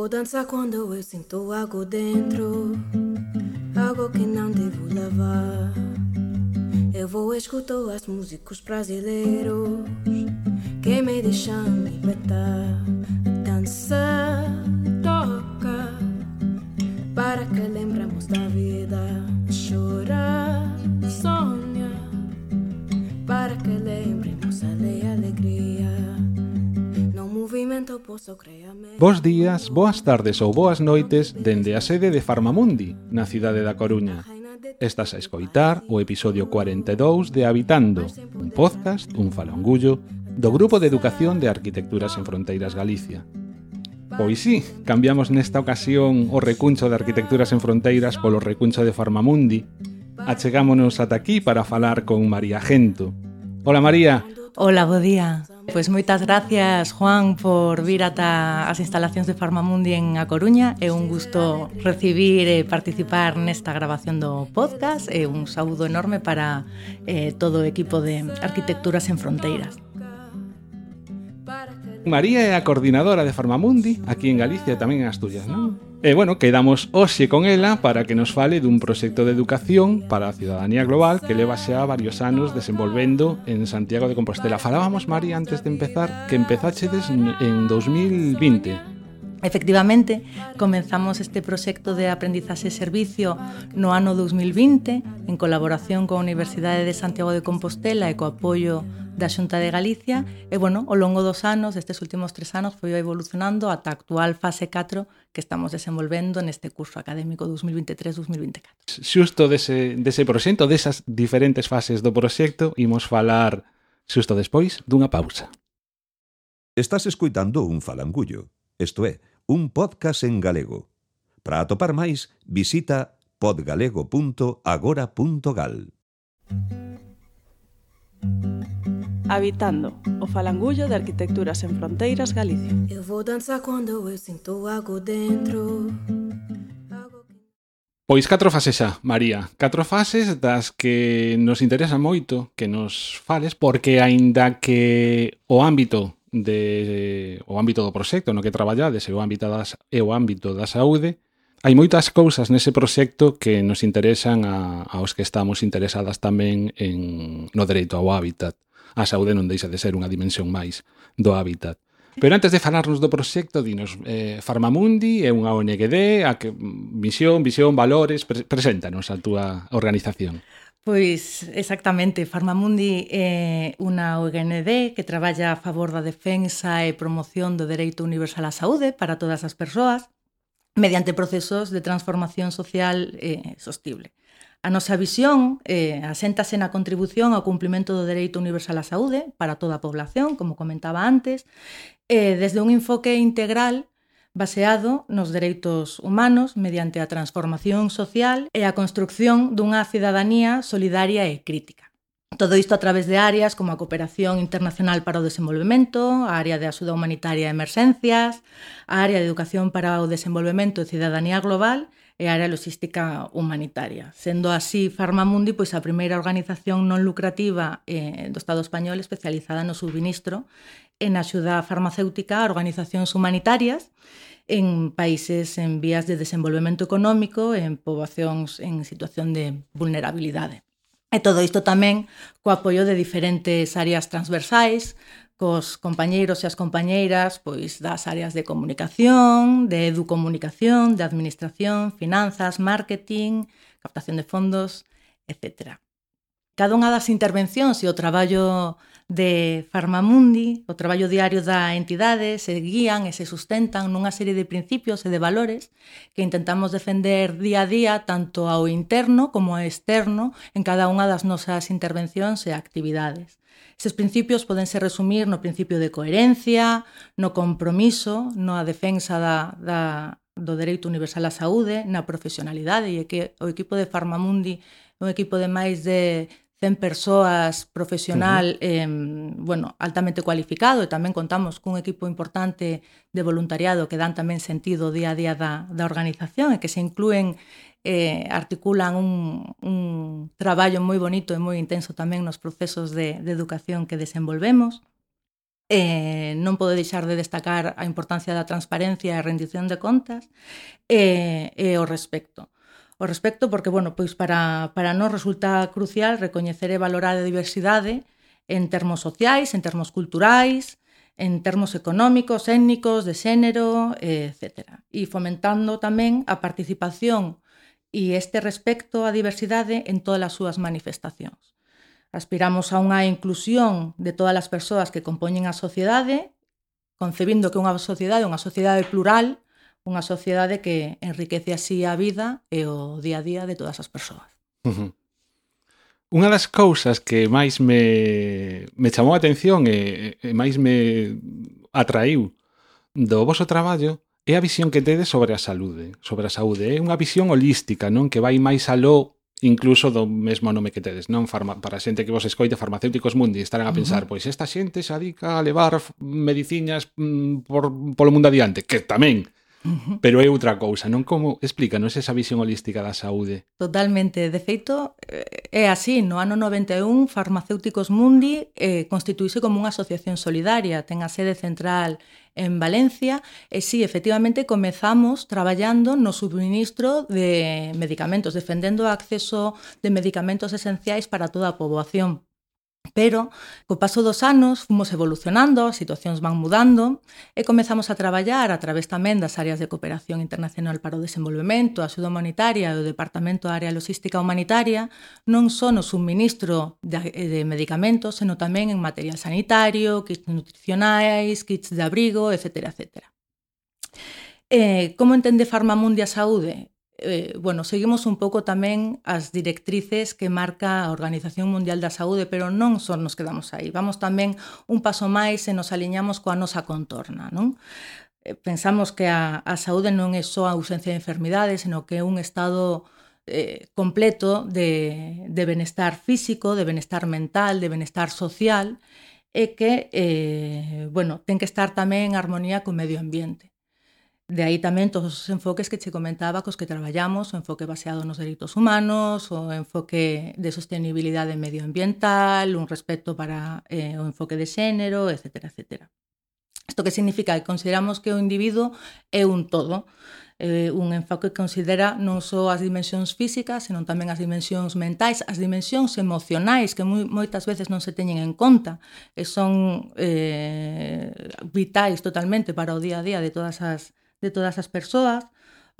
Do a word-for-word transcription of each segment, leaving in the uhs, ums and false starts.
vou dançar quando eu sinto algo dentro, algo que não devo levar. Eu vou escutar as músicos brasileiros que me deixam libertar. Dança, toca, para que lembramos da vida. Chora, sonha, para que lembremos a lei alegria. No movimento posso criar. Bos días, boas tardes ou boas noites dende a sede de Farmamundi, na cidade da Coruña. Estás a escoitar o episodio cuarenta e dous de Habitando, un podcast, un falangullo, do Grupo de Educación de Arquitectura Sen Fronteiras Galicia. Pois sí, cambiamos nesta ocasión o recuncho de Arquitectura Sen Fronteiras polo recuncho de Farmamundi. Achegámonos ata aquí para falar con María Gento. Hola, María. Hola, bo día. Pois moitas gracias, Juan, por vir ata as instalacións de Farmamundi en A Coruña. É un gusto recibir e participar nesta grabación do podcast e un saúdo enorme para eh, todo o equipo de Arquitectura Sen Fronteiras. María é a coordinadora de Farmamundi aquí en Galicia e tamén en Asturias, non? E, bueno, quedamos hoxe con ela para que nos fale dun proxecto de educación para a ciudadanía global que leva xa varios anos desenvolvendo en Santiago de Compostela. Falábamos, María, antes de empezar, que empezáchedes en dos mil vinte. Efectivamente, comenzamos este proxecto de aprendizaxe e servicio no ano dos mil vinte en colaboración coa Universidade de Santiago de Compostela e co apoio da Xunta de Galicia e, bueno, ao longo dos anos, destes últimos tres anos, foi evolucionando ata a actual fase catro que estamos desenvolvendo neste curso académico dos mil vinte e tres dos mil vinte e catro. Xusto dese, dese proxecto, desas diferentes fases do proxecto, imos falar xusto despois dunha pausa. Estás escoitando un falangullo, isto é, un podcast en galego. Para atopar máis, visita podgalego punto agora punto gal. Habitando, o falangullo de Arquitectura Sen Fronteiras Galicia. Eu vou dançar quando eu sinto algo dentro. Pois catro fases xa, María. Catro fases das que nos interesa moito que nos fales, porque aínda que o ámbito de o ámbito do proxecto no que traballades e o ámbito das e o ámbito da saúde, hai moitas cousas nese proxecto que nos interesan a, aos que estamos interesadas tamén en no dereito ao hábitat. A saúde non deixa de ser unha dimensión máis do hábitat. Pero antes de falarnos do proxecto, dinos, eh, Farmamundi é unha O N G D, a que misión, visión, valores, pre- preséntanos a túa organización. Pois, exactamente, Farmamundi é unha O N G D que traballa a favor da defensa e promoción do dereito universal á saúde para todas as persoas mediante procesos de transformación social eh, sostible. A nosa visión eh, aséntase na contribución ao cumprimento do dereito universal á saúde para toda a población, como comentaba antes, eh, desde un enfoque integral baseado nos dereitos humanos mediante a transformación social e a construcción dunha cidadanía solidaria e crítica. Todo isto a través de áreas como a cooperación internacional para o desenvolvemento, a área de axuda humanitaria e emerxencias, a área de educación para o desenvolvemento e cidadanía global e a área logística humanitaria. Sendo así, Farmamundi, pois a primeira organización non lucrativa eh, do Estado español especializada no subministro e na axuda farmacéutica a organizacións humanitarias en países en vías de desenvolvemento económico e en poboacións en situación de vulnerabilidade. E todo isto tamén co apoio de diferentes áreas transversais, cos compañeiros e as compañeiras pois das áreas de comunicación, de educomunicación, de administración, finanzas, marketing, captación de fondos, etcétera. Cada unha das intervencións e o traballo de Farmamundi, o traballo diario da entidade, se guían e se sustentan nunha serie de principios e de valores que intentamos defender día a día tanto ao interno como ao externo en cada unha das nosas intervencións e actividades. Estes principios podense resumir no principio de coherencia, no compromiso, na defensa da, da, do dereito universal á saúde, na profesionalidade, e que o equipo de Farmamundi é un equipo de máis de cen persoas profesional, uh-huh. eh, bueno, altamente cualificado, e tamén contamos cun equipo importante de voluntariado que dan tamén sentido día a día da, da organización e que se inclúen, eh, articulan un, un traballo moi bonito e moi intenso tamén nos procesos de, de educación que desenvolvemos. eh, non podo deixar de destacar a importancia da transparencia e a rendición de contas e, e o respecto. O respecto porque, bueno, pois para, para nós resulta crucial recoñecer e valorar a diversidade en termos sociais, en termos culturais, en termos económicos, étnicos, de xénero, etcétera. E fomentando tamén a participación e este respecto á diversidade en todas as súas manifestacións. Aspiramos a unha inclusión de todas as persoas que compoñen a sociedade, concebindo que unha sociedade é unha sociedade plural, unha sociedade que enriquece así a vida e o día a día de todas as persoas. Uh-huh. Unha das cousas que máis me, me chamou a atención e, e máis me atraíu do voso traballo é a visión que tedes sobre a saúde. Sobre a saúde. É unha visión holística, non? Que vai máis aló incluso do mesmo nome que tedes, non? Farma, para a xente que vos escoite, Farmacéuticos Mundi, estarán a pensar, uh-huh. pois esta xente se adica a levar mediciñas mm, por, polo mundo adiante, que tamén. Uh-huh. Pero é outra cousa, non? Como explícanos esa visión holística da saúde? Totalmente. De feito, é así. No ano noventa e un, Farmacéuticos Mundi eh, constituíse como unha asociación solidaria. Ten a sede central en Valencia e sí, efectivamente, comezamos traballando no subministro de medicamentos, defendendo o acceso de medicamentos esenciais para toda a poboación. Pero, co paso dos anos, fomos evolucionando, as situacións van mudando e comezamos a traballar a través tamén das áreas de cooperación internacional para o desenvolvemento, a axuda humanitaria e o Departamento de Área Logística Humanitaria, non só no subministro de, de medicamentos, senón tamén en material sanitario, kits nutricionais, kits de abrigo, etcétera, etcétera. Eh, como entende Farmamundi a saúde? Eh, bueno, seguimos un pouco tamén as directrices que marca a Organización Mundial da Saúde, pero non só nos quedamos aí. Vamos tamén un paso máis e nos aliñamos coa nosa contorna, non? Eh, pensamos que a, a saúde non é só a ausencia de enfermidades, senón que é un estado eh, completo de, de benestar físico, de benestar mental, de benestar social, e que, eh, bueno, ten que estar tamén en armonía co medio ambiente. De aí tamén todos os enfoques que che comentaba cos que traballamos, o enfoque baseado nos dereitos humanos, o enfoque de sostenibilidade medioambiental, un respecto para eh, o enfoque de xénero, etcétera, etcétera. Isto que significa que consideramos que o individuo é un todo, eh, un enfoque que considera non só as dimensións físicas, senón tamén as dimensións mentais, as dimensións emocionais que moi, moitas veces non se teñen en conta e son eh, vitais totalmente para o día a día de todas as de todas as persoas,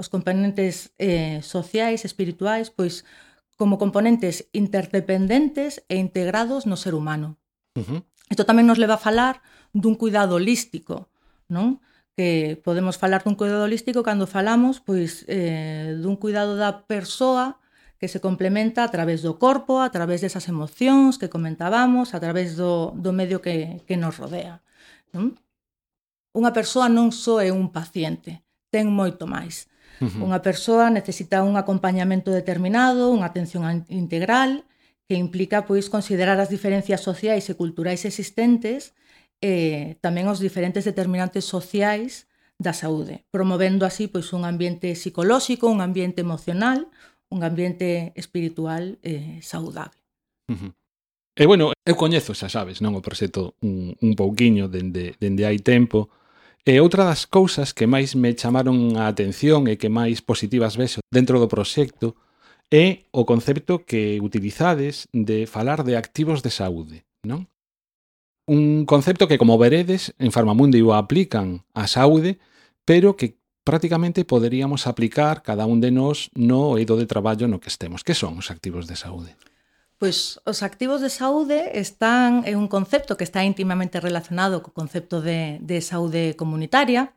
os componentes eh, sociais, espirituais, pois como componentes interdependentes e integrados no ser humano. Uh-huh. Isto tamén nos leva a falar dun cuidado holístico, non? Que podemos falar dun cuidado holístico cando falamos pois eh, dun cuidado da persoa que se complementa a través do corpo, a través desas emocións que comentábamos, a través do, do medio que, que nos rodea, non? Unha persoa non só é un paciente, ten moito máis. Uh-huh. Unha persoa necesita un acompañamento determinado, unha atención integral, que implica pois considerar as diferencias sociais e culturais existentes e tamén os diferentes determinantes sociais da saúde, promovendo así pois un ambiente psicolóxico, un ambiente emocional, un ambiente espiritual eh, saudable. Uh-huh. E bueno, eu coñezo, xa sabes, non o proxecto un, un pouquiño dende, dende hai tempo. E outra das cousas que máis me chamaron a atención e que máis positivas vexo dentro do proxecto é o concepto que utilizades de falar de activos de saúde, non? Un concepto que, como veredes, en Farmamundi o aplican á saúde, pero que prácticamente poderíamos aplicar cada un de nós no eido de traballo no que estemos. Que son os activos de saúde? Pois os activos de saúde están en un concepto que está íntimamente relacionado co concepto de, de saúde comunitaria.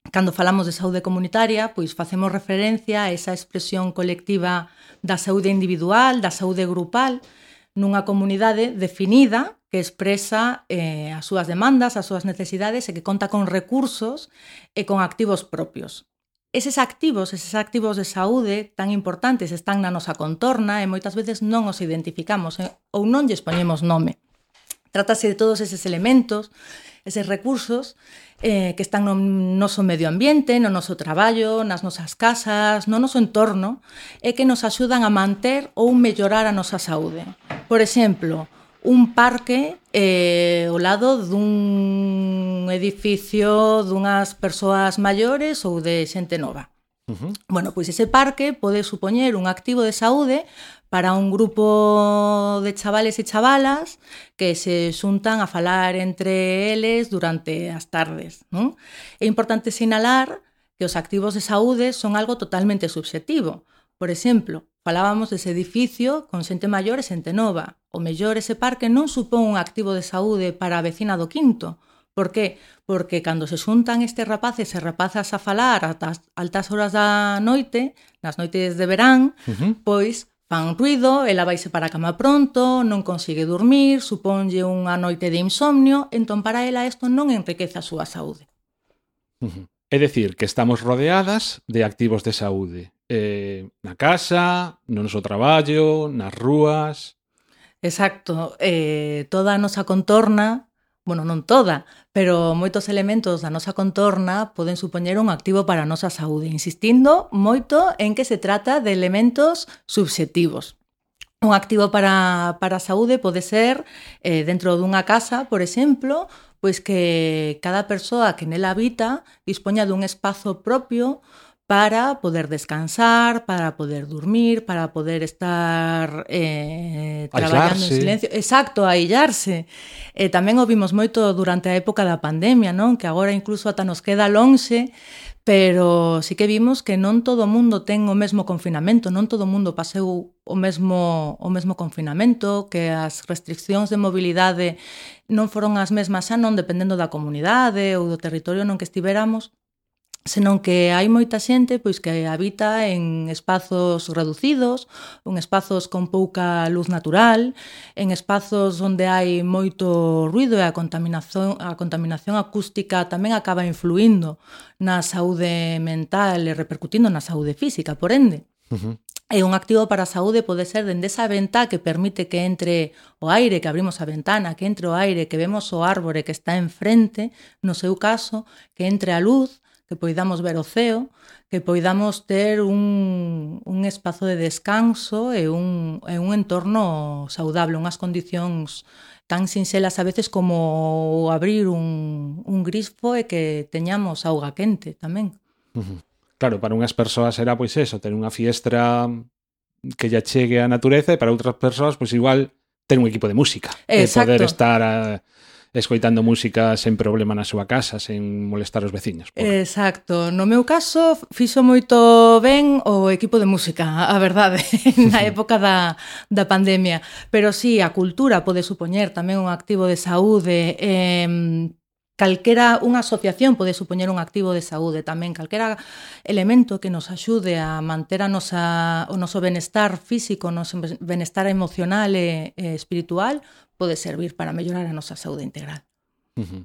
Cando falamos de saúde comunitaria, pois facemos referencia a esa expresión colectiva da saúde individual, da saúde grupal, nunha comunidade definida que expresa eh, as súas demandas, as súas necesidades e que conta con recursos e con activos propios. Eses activos, eses activos de saúde tan importantes están na nosa contorna e moitas veces non os identificamos eh, ou non lles poñemos nome. Trátase de todos eses elementos, eses recursos eh, que están no noso medio ambiente, no noso traballo, nas nosas casas, no noso entorno e que nos axudan a manter ou mellorar a nosa saúde. Por exemplo, un parque eh, ao lado dun edificio dunhas persoas maiores ou de xente nova. Uh-huh. Bueno, pois ese parque pode supoñer un activo de saúde para un grupo de chavales e chavalas que se xuntan a falar entre eles durante as tardes, non? É importante sinalar que os activos de saúde son algo totalmente subxetivo. Por exemplo, falábamos dese edificio con xente maior e xente nova. O mellor ese parque non supón un activo de saúde para a vecina do quinto. Por que? Porque cando se xuntan estes rapaces e rapazas a falar ata altas horas da noite, nas noites de verán, Uh-huh. pois fan ruido, ela vaise para a cama pronto, non consigue dormir, suponlle unha noite de insomnio, entón para ela isto non enriquece a súa saúde. Uh-huh. É dicir, que estamos rodeadas de activos de saúde. Eh, na casa, no noso traballo, nas rúas... Exacto, eh, toda a nosa contorna, bueno, non toda, pero moitos elementos da nosa contorna poden supoñer un activo para a nosa saúde, insistindo moito en que se trata de elementos subxectivos. Un activo para, para a saúde pode ser, eh, dentro dunha casa, por exemplo, pois que cada persoa que nela habita dispoña dun espazo propio para poder descansar, para poder dormir, para poder estar eh, traballando en silencio. Exacto, aillarse. Eh, tamén o vimos moito durante a época da pandemia, non? Que agora incluso ata nos queda lonxe, pero sí que vimos que non todo o mundo ten o mesmo confinamento, non todo o mundo paseu o mesmo, o mesmo confinamento, que as restriccións de mobilidade non foron as mesmas xa non dependendo da comunidade ou do territorio non que estiveramos, senón que hai moita xente pois que habita en espazos reducidos, en espazos con pouca luz natural, en espazos onde hai moito ruido e a contaminación, a contaminación acústica tamén acaba influindo na saúde mental e repercutindo na saúde física, por ende. Uh-huh. E un activo para a saúde pode ser dende esa ventá que permite que entre o aire, que abrimos a ventana, que entre o aire, que vemos o árbore que está enfrente, no seu caso, que entre a luz, que poidamos ver o ceo, que poidamos ter un, un espazo de descanso e un, e un entorno saudable, unhas condicións tan sinxelas a veces como abrir un, un grifo e que teñamos auga quente tamén. Uh-huh. Claro, para unhas persoas será pois eso, ter unha fiestra que lle chegue á natureza e para outras persoas pois igual ter un equipo de música. Exacto. E poder estar a escoitando música sen problema na súa casa, sen molestar os veciños. Por... Exacto. No meu caso, fixo moito ben o equipo de música, a verdade, na época da, da pandemia. Pero sí, a cultura pode supoñer tamén un activo de saúde, eh, calquera, unha asociación pode supoñer un activo de saúde tamén, calquera elemento que nos axude a manter a nosa, o noso benestar físico, o noso benestar emocional e, e espiritual, pode servir para mellorar a nosa saúde integral. Uh-huh.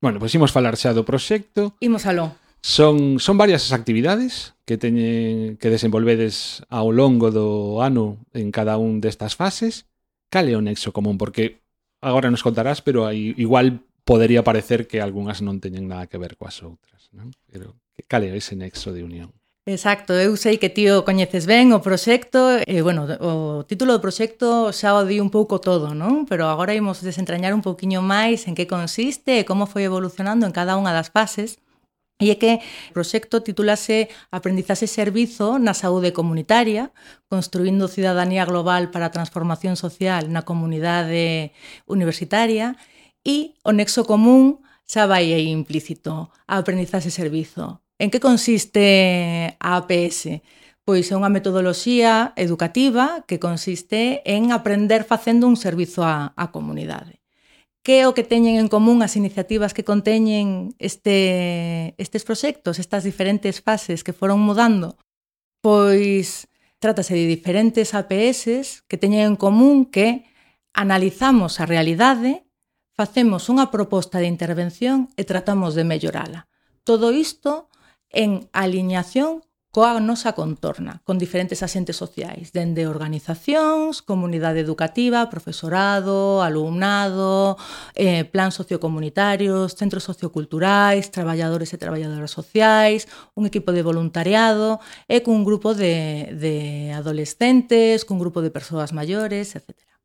Bueno, pois imos falar xa do proxecto. Imos aló. Son, son varias as actividades que teñen que desenvolvedes ao longo do ano en cada un destas fases. Cal é o nexo común? Porque agora nos contarás, pero aí igual podería parecer que algunhas non teñen nada que ver coas outras, non? Pero cal é ese nexo de unión? Exacto, eu sei que ti o coñeces ben o proxecto, e, bueno, o título do proxecto xa o di un pouco todo, non? Pero agora imos desentrañar un pouquiño máis en que consiste e como foi evolucionando en cada unha das fases. E é que o proxecto titúlase Aprendizaxe e Servizo na Saúde Comunitaria, construindo cidadanía global para a transformación social na comunidade universitaria, e o nexo común xa vai aí implícito, a aprendizaxe e servizo. En que consiste a A P S? Pois é unha metodoloxía educativa que consiste en aprender facendo un servizo á, á comunidade. Que é o que teñen en común as iniciativas que conteñen este, estes proxectos, estas diferentes fases que foron mudando? Pois trátase de diferentes A P S que teñen en común que analizamos a realidade, facemos unha proposta de intervención e tratamos de mellorala. Todo isto en aliñación coa nosa contorna, con diferentes axentes sociais, dende organizacións, comunidade educativa, profesorado, alumnado, eh, plan sociocomunitarios, centros socioculturais, traballadores e traballadoras sociais, un equipo de voluntariado e cun grupo de, de adolescentes, cun grupo de persoas maiores, etcétera.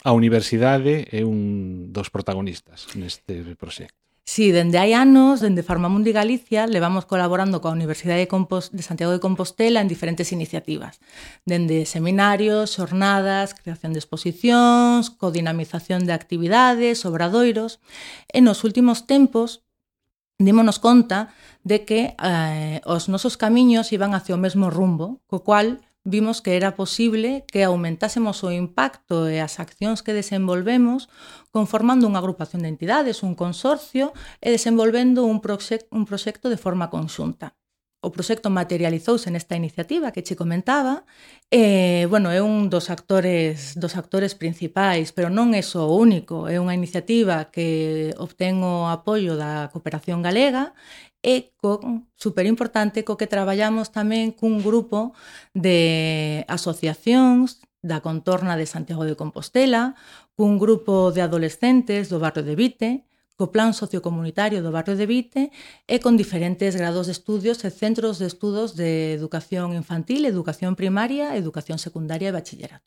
A universidade é un dos protagonistas neste proxecto. Sí, dende hai anos, dende Farmamundi Galicia, levamos colaborando coa Universidade de, Compos- de Santiago de Compostela en diferentes iniciativas, dende seminarios, xornadas, creación de exposicións, codinamización de actividades, obradoiros. E nos últimos tempos, dímonos conta de que eh, os nosos camiños iban hacia o mesmo rumbo, co cual vimos que era posible que aumentásemos o impacto e as accións que desenvolvemos conformando unha agrupación de entidades, un consorcio, e desenvolvendo un, proxecto, un proxecto de forma conxunta. O proxecto materializouse nesta iniciativa que che comentaba, e, bueno, é un dos actores, dos actores principais, pero non é só o único, é unha iniciativa que obtén o apoio da Cooperación Galega e con, superimportante, co que traballamos tamén cun grupo de asociacións da contorna de Santiago de Compostela, cun grupo de adolescentes do barrio de Vite, co plan sociocomunitario do barrio de Vite e con diferentes grados de estudios e centros de estudos de educación infantil, educación primaria, educación secundaria e bachillerato.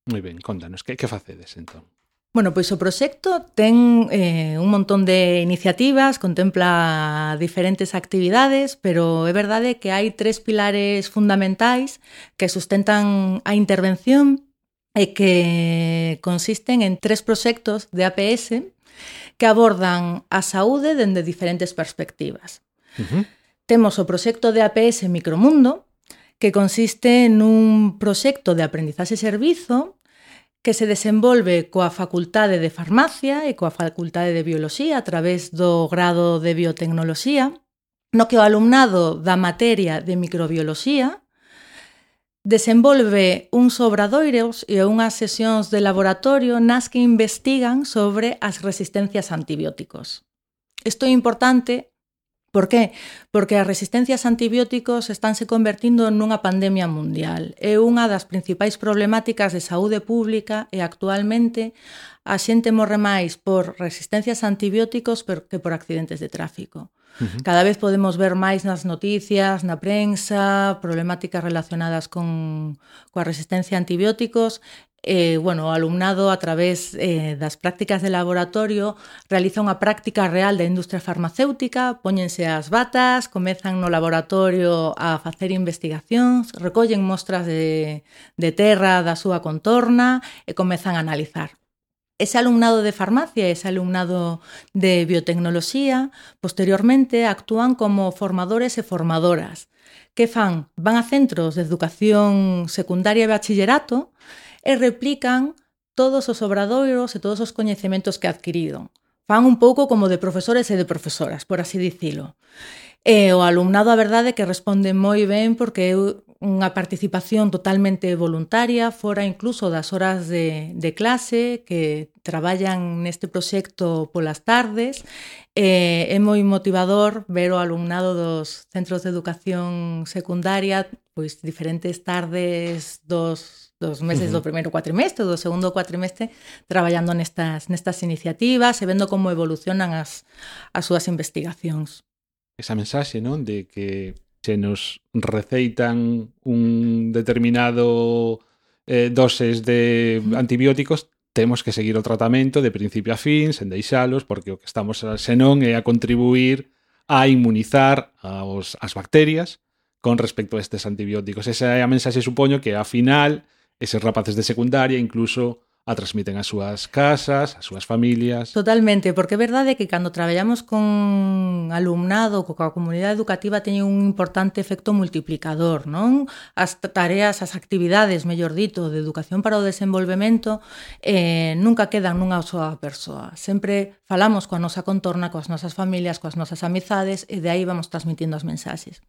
Moi ben, contanos, que, que facedes entón? Bueno, pois o proxecto ten eh, un montón de iniciativas, contempla diferentes actividades, pero é verdade que hai tres pilares fundamentais que sustentan a intervención e que consisten en tres proxectos de A P S que abordan a saúde dende diferentes perspectivas. Uh-huh. Temos o proxecto de A P S Micromundo, que consiste nun proxecto de aprendizaxe e servizo que se desenvolve coa Facultade de Farmacia e coa Facultade de Bioloxía a través do grado de Biotecnoloxía, no que o alumnado da materia de microbioloxía desenvolve uns obradoiros e unhas sesións de laboratorio nas que investigan sobre as resistencias a antibióticos. Isto é importante. Por qué? Porque as resistencias a antibióticos estánse convertindo nunha pandemia mundial. É unha das principais problemáticas de saúde pública e actualmente a xente morre máis por resistencias a antibióticos que por accidentes de tráfico. Uh-huh. Cada vez podemos ver máis nas noticias, na prensa, problemáticas relacionadas con coa resistencia a antibióticos. Eh, bueno, o alumnado, a través eh, das prácticas de laboratorio, realiza unha práctica real da industria farmacéutica, póñense as batas, comezan no laboratorio a facer investigacións, recollen mostras de, de terra da súa contorna e comezan a analizar. Ese alumnado de farmacia e ese alumnado de biotecnoloxía posteriormente actúan como formadores e formadoras. Que fan? Van a centros de educación secundaria e bachillerato e replican todos os obradoiros e todos os coñecementos que adquiriron. Fan un pouco como de profesores e de profesoras, por así dicilo. E o alumnado, a verdade, que responde moi ben porque é unha participación totalmente voluntaria, fora incluso das horas de, de clase, que traballan neste proxecto polas tardes. E é moi motivador ver o alumnado dos centros de educación secundaria, pois diferentes tardes dos dos meses uh-huh. do primeiro cuatrimestre, do segundo cuatrimestre, traballando nestas, nestas iniciativas e vendo como evolucionan as, as súas investigacións. Esa mensaxe, non? De que se nos receitan un determinado eh, doses de antibióticos, temos que seguir o tratamento de principio a fin, sen deixalos, porque o que estamos senón é a contribuir a inmunizar aos, as bacterias con respecto a estes antibióticos. Esa é a mensaxe, supoño, que a final eses rapaces de secundaria incluso a transmiten ás súas casas, ás súas familias. Totalmente, porque é verdade que cando traballamos con alumnado, coa comunidade educativa, teñen un importante efecto multiplicador, non? As tareas, as actividades, mellor dito, de educación para o desenvolvemento eh, nunca quedan nunha soa persoa. Sempre falamos coa nosa contorna, coas nosas familias, coas nosas amizades, e de aí vamos transmitindo as mensaxes.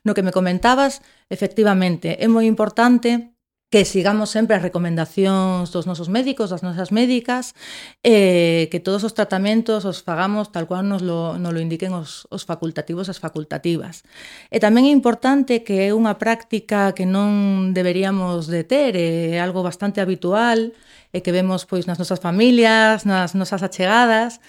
No que me comentabas, efectivamente, é moi importante que sigamos sempre as recomendacións dos nosos médicos, das nosas médicas, eh, que todos os tratamentos os fagamos tal cual nos lo, nos lo indiquen os, os facultativos, as facultativas. E tamén é importante que é unha práctica que non deberíamos de ter, é algo bastante habitual, e que vemos pois nas nosas familias, nas nosas achegadas,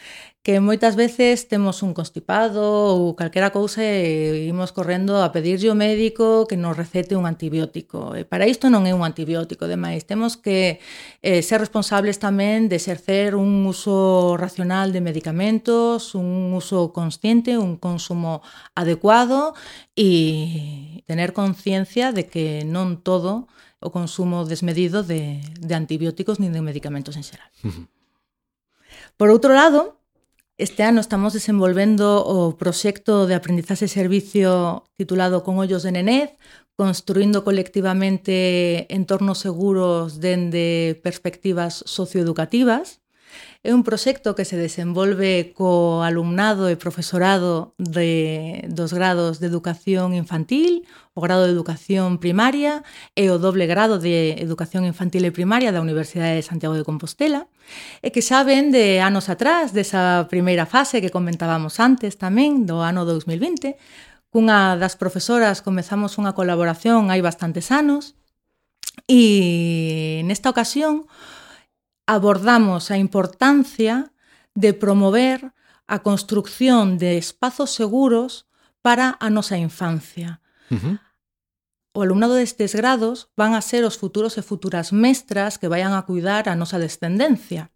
que moitas veces temos un constipado ou calquera cousa e imos correndo a pedirlle ao médico que nos recete un antibiótico. E para isto non é un antibiótico, demais. Temos que eh, ser responsables tamén de exercer un uso racional de medicamentos, un uso consciente, un consumo adecuado e tener conciencia de que non todo o consumo desmedido de, de antibióticos nin de medicamentos en xeral. Uh-huh. Por outro lado, este ano estamos desenvolvendo o proxecto de aprendizaxe e servicio titulado Con ollos de nenez, construindo colectivamente entornos seguros dende perspectivas socioeducativas. É un proxecto que se desenvolve co alumnado e profesorado de, dos grados de educación infantil, o grado de educación primaria e o doble grado de educación infantil e primaria da Universidade de Santiago de Compostela, e que xa ven de anos atrás, desa primeira fase que comentábamos antes tamén, do ano dos mil vinte, cunha das profesoras comezamos unha colaboración hai bastantes anos, e nesta ocasión abordamos a importancia de promover a construcción de espazos seguros para a nosa infancia. Uh-huh. O alumnado destes grados van a ser os futuros e futuras mestras que vayan a cuidar a nosa descendencia.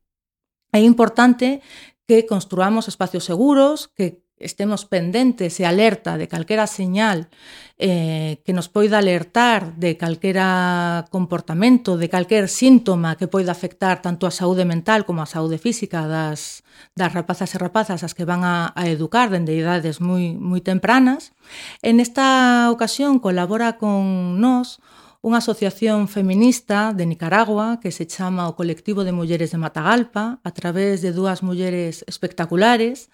É importante que construamos espacios seguros, que estemos pendentes e alerta de calquera señal eh, que nos poida alertar de calquera comportamento, de calquer síntoma que poida afectar tanto a saúde mental como a saúde física das, das rapazas e rapazas as que van a, a educar dende idades moi, moi tempranas. En esta ocasión colabora con nós unha asociación feminista de Nicaragua que se chama o Colectivo de Mulleres de Matagalpa, a través de dúas mulleres espectaculares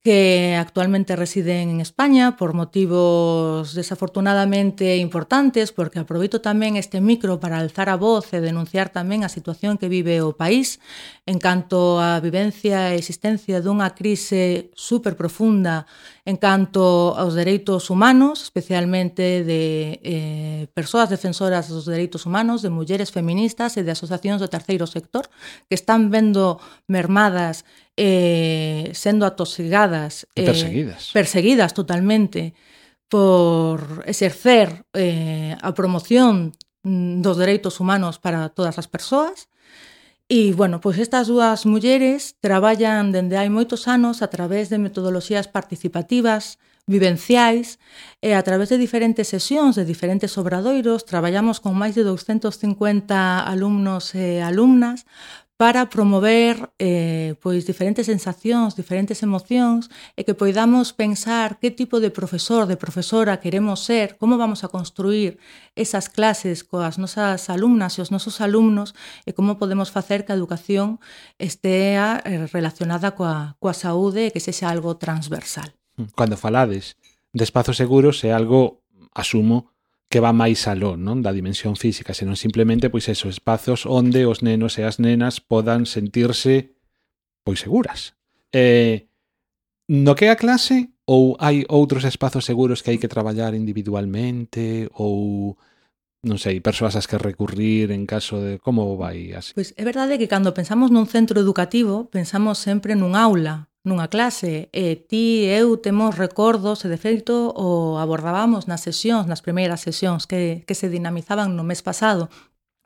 que actualmente residen en España por motivos desafortunadamente importantes, porque aproveito tamén este micro para alzar a voz e denunciar tamén a situación que vive o país en canto á vivencia e existencia dunha crise super profunda en canto aos dereitos humanos, especialmente de eh, persoas defensoras dos dereitos humanos, de mulleres feministas e de asociacións do terceiro sector que están vendo mermadas eh, sendo atosigadas eh, perseguidas perseguidas totalmente por exercer eh, a promoción dos dereitos humanos para todas as persoas. E, bueno, pois estas dúas mulleres traballan dende hai moitos anos a través de metodoloxías participativas, vivenciais, e a través de diferentes sesións, de diferentes obradoiros, traballamos con máis de douscentos cincuenta alumnos e alumnas para promover eh, pois diferentes sensacións, diferentes emocións e que poidamos pensar que tipo de profesor, de profesora queremos ser, como vamos a construir esas clases coas nosas alumnas e os nosos alumnos e como podemos facer que a educación estea relacionada coa, coa saúde e que sexa algo transversal. Cando falades de espazos seguros é algo, asumo, que va máis aló, non, da dimensión física, senón simplemente pois esos espazos onde os nenos e as nenas podan sentirse pois seguras. Eh, no que é a clase ou hai outros espazos seguros que hai que traballar individualmente ou non sei, persoas ás que recurrir en caso de como vai así? Pois é verdade que cando pensamos nun centro educativo pensamos sempre nun aula, nunha clase, e ti e eu temos recordos, e de feito o abordábamos nas sesións, nas primeiras sesións que, que se dinamizaban no mes pasado.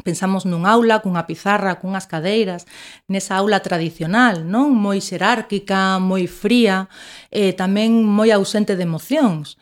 Pensamos nun aula, cunha pizarra, cunhas cadeiras, nesa aula tradicional, non? Moi xerárquica, moi fría, e tamén moi ausente de emocións.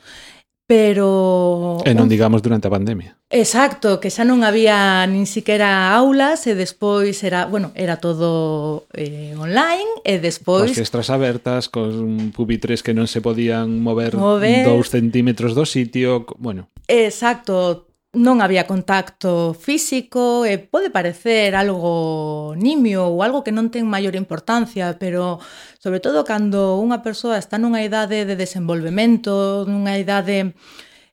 Pero... E non digamos durante a pandemia. Exacto, que xa non había nin siquiera aulas e despois era, bueno, era todo eh, online e despois... As fiestras abertas, con pupitres que non se podían mover, mover dous centímetros do sitio, bueno... Exacto, non había contacto físico e pode parecer algo nimio ou algo que non ten maior importancia, pero sobre todo cando unha persoa está nunha idade de desenvolvemento, nunha idade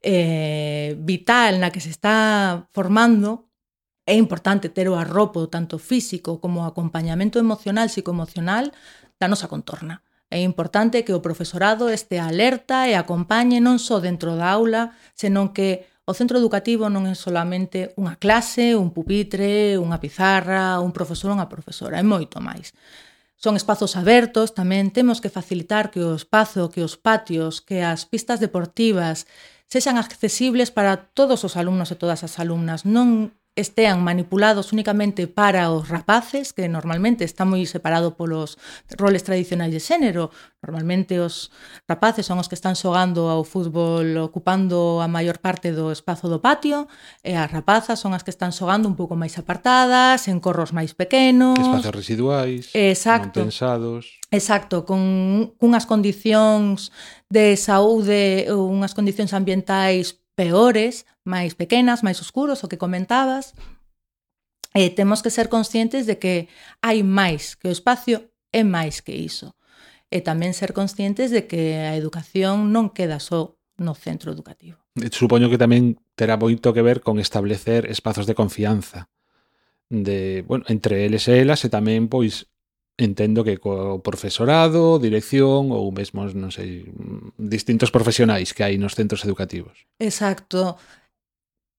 eh, vital na que se está formando, é importante ter o arropo tanto físico como o acompañamento emocional, psicoemocional da nosa contorna. É importante que o profesorado este alerta e acompañe non só dentro da aula, senón que o centro educativo non é solamente unha clase, un pupitre, unha pizarra, un profesor ou unha profesora, é moito máis. Son espazos abertos, tamén temos que facilitar que o espazo, que os patios, que as pistas deportivas sexan accesibles para todos os alumnos e todas as alumnas, non estean manipulados únicamente para os rapaces, que normalmente está moi separado polos roles tradicionais de xénero. Normalmente os rapaces son os que están xogando ao fútbol ocupando a maior parte do espazo do patio, e as rapazas son as que están xogando un pouco máis apartadas, en corros máis pequenos. Espacios residuais, Exacto. non pensados. Exacto, con unhas condicións de saúde, unhas condicións ambientais peores, máis pequenas, máis oscuros, o que comentabas. E temos que ser conscientes de que hai máis, que o espacio é máis que iso. E tamén ser conscientes de que a educación non queda só no centro educativo. Supoño que tamén terá moito que ver con establecer espazos de confianza de, bueno, entre eles e elas, e tamén, pois, entendo que co profesorado, dirección ou mesmo, non sei, distintos profesionais que hai nos centros educativos. Exacto.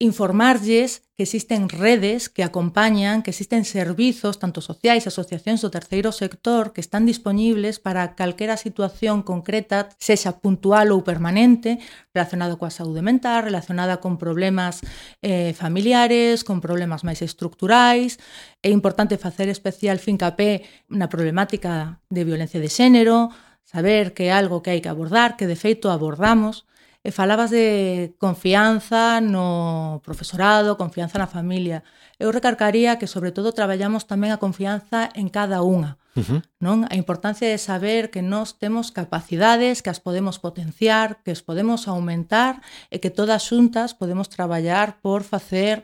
Informarlles que existen redes que acompañan, que existen servizos, tanto sociais, asociacións do terceiro sector, que están disponibles para calquera situación concreta, sexa puntual ou permanente, relacionada coa saúde mental, relacionada con problemas eh, familiares, con problemas máis estructurais. É importante facer especial fincapé na problemática de violencia de xénero, saber que é algo que hai que abordar, que de feito abordamos. E falabas de confianza no profesorado, confianza na familia. Eu recargaría que, sobre todo, traballamos tamén a confianza en cada unha. Uh-huh. Non? A importancia de saber que nós temos capacidades, que as podemos potenciar, que as podemos aumentar e que todas xuntas podemos traballar por facer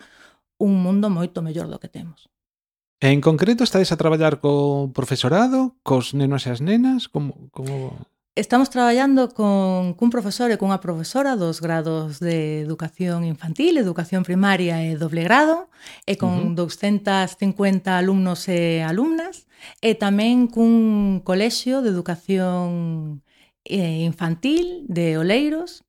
un mundo moito mellor do que temos. En concreto, estades a traballar co profesorado, cos nenos e as nenas? Como... como... Estamos traballando con cun profesor e cunha profesora dos grados de educación infantil, educación primaria e doble grado, e con uh-huh. doscientos cincuenta alumnos e alumnas, e tamén cun colexio de educación eh, infantil de Oleiros.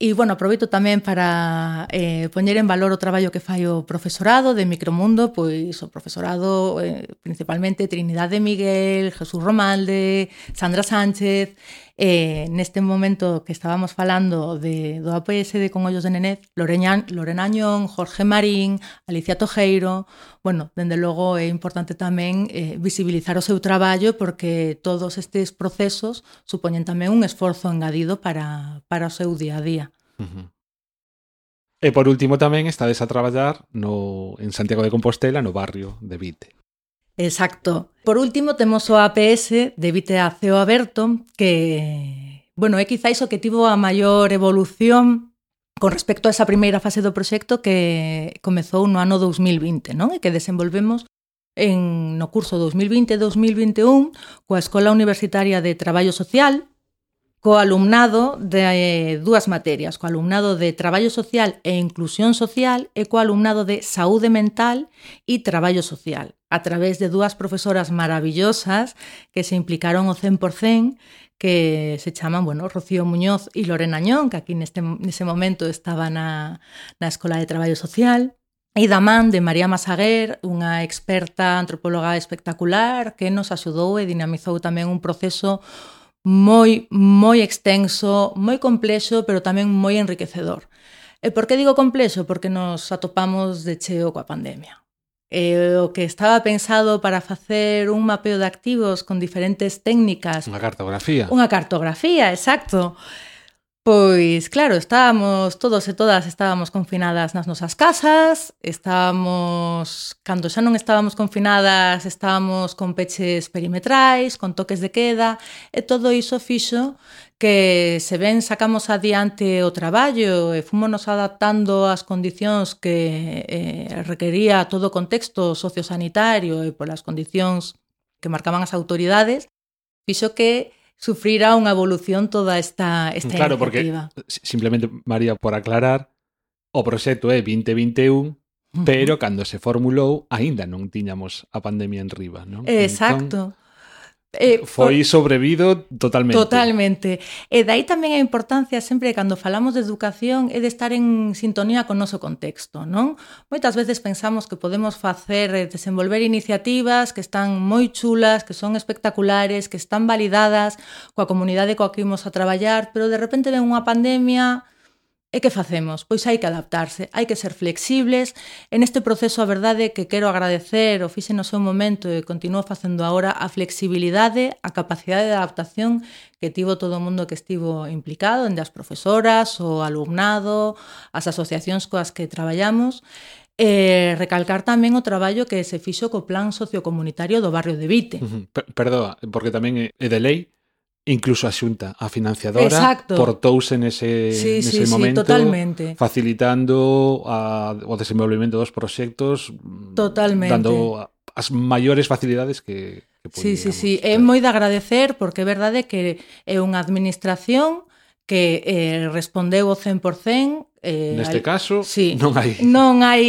E, bueno, aproveito tamén para eh, poñer en valor o traballo que fai o profesorado de Micromundo, pois o profesorado eh, principalmente Trinidade Miguel, Jesús Romalde, Sandra Sánchez. Eh, neste momento que estábamos falando de, do A P S de Con Ollos de Nenez, Lorena, Lorena Añón, Jorge Marín, Alicia Tojeiro. Bueno, dende logo é importante tamén eh, visibilizar o seu traballo, porque todos estes procesos supoñen tamén un esforzo engadido para, para o seu día a día. Uh-huh. E por último tamén estades a traballar no, en Santiago de Compostela, no barrio de Vite. Exacto. Por último, temos o A P S de Vite a Ceo Aberto, que, bueno, é quizáis o que tivo a maior evolución con respecto a esa primeira fase do proxecto que comezou no ano dous mil vinte, non? E que desenvolvemos en, no curso dous mil vinte dous mil vinte e un coa Escola Universitaria de Traballo Social, co alumnado de eh, dúas materias, co alumnado de Traballo Social e Inclusión Social e co alumnado de Saúde Mental e Traballo Social, a través de dúas profesoras maravillosas que se implicaron ao cen por cen, que se chaman, bueno, Rocío Muñoz e Lorena Añón, que aquí neste, nese momento estaba na, na Escola de Traballo Social, e da man de María Masaguer, unha experta antropóloga espectacular que nos axudou e dinamizou tamén un proceso moi, moi extenso, moi complexo, pero tamén moi enriquecedor. E por que digo complexo? Porque nos atopamos de cheo coa pandemia. E o que estaba pensado para facer un mapeo de activos con diferentes técnicas... Unha cartografía. Unha cartografía, exacto. Pois, claro, estábamos, todos e todas estábamos confinadas nas nosas casas, estábamos, cando xa non estábamos confinadas, estábamos con peches perimetrais, con toques de queda, e todo iso fixo que, se ben sacamos adiante o traballo e fomos adaptando ás condicións que eh, requería todo o contexto sociosanitario e polas condicións que marcaban as autoridades, fixo que sufrirá unha evolución toda esta, esta claro, iniciativa. Porque, simplemente, María, por aclarar, o proxecto é vinte vinte e un, uh-huh. pero cando se formulou, aínda non tiñamos a pandemia en riba, non? Exacto. Entón... Eh, foi sobrevido totalmente. Totalmente. E dai tamén a importancia sempre cando falamos de educación é de estar en sintonía con o noso contexto, non? Moitas veces pensamos que podemos facer, desenvolver iniciativas que están moi chulas, que son espectaculares, que están validadas coa comunidade coa que imos a traballar, pero de repente ven unha pandemia. E que facemos? Pois hai que adaptarse, hai que ser flexibles. En este proceso, a verdade que quero agradecer, o fixe no seu momento e continuo facendo agora, a flexibilidade, a capacidade de adaptación que tivo todo o mundo que estivo implicado, dende as profesoras, o alumnado, as asociacións coas que traballamos, e recalcar tamén o traballo que se fixo co plan sociocomunitario do barrio de Vite. Uh-huh. Perdoa, porque tamén é de lei. Incluso a Xunta, a financiadora, Exacto. portouse nese, sí, nese sí, momento, sí, totalmente. facilitando a, o desenvolvimento dos proxectos, totalmente. Dando as maiores facilidades que, que Sí, sí, sí. ter. É moi de agradecer porque é verdade que é unha administración que eh, respondeu o cen por cen. Eh, Neste al... caso, sí. non hai non hai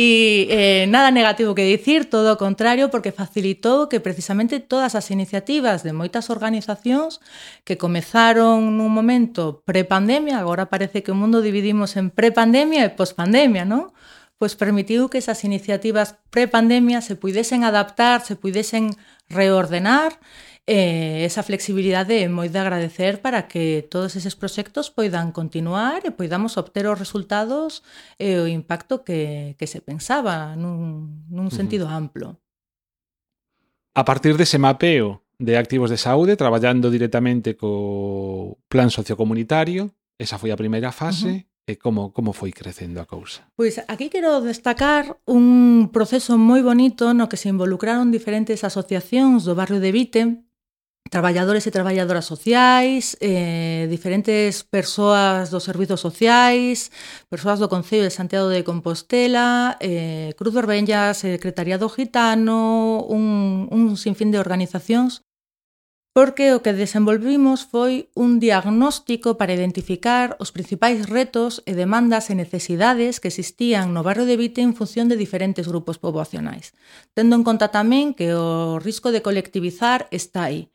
eh, nada negativo que dicir, todo o contrario, porque facilitou que precisamente todas as iniciativas de moitas organizacións que comezaron nun momento prepandemia, agora parece que o mundo dividimos en prepandemia e pospandemia, non? Pois permitiu que esas iniciativas prepandemia se puidesen adaptar, se puidesen reordenar. Eh, esa flexibilidade é moi de agradecer para que todos eses proxectos poidan continuar e poidamos obter os resultados e o impacto que, que se pensaba nun, nun sentido uh-huh. amplo. A partir dese mapeo de activos de saúde, traballando directamente co plan sociocomunitario, esa foi a primeira fase, uh-huh. e como, como foi crecendo a cousa? Pois aquí quero destacar un proceso moi bonito no que se involucraron diferentes asociacións do barrio de Vite, traballadores e traballadoras sociais, eh, diferentes persoas dos servizos sociais, persoas do Concello de Santiago de Compostela, eh, Cruz Vermella, Secretariado Gitano, un, un sinfín de organizacións, porque o que desenvolvimos foi un diagnóstico para identificar os principais retos e demandas e necesidades que existían no barrio de Vite en función de diferentes grupos poboacionais, tendo en conta tamén que o risco de colectivizar está aí.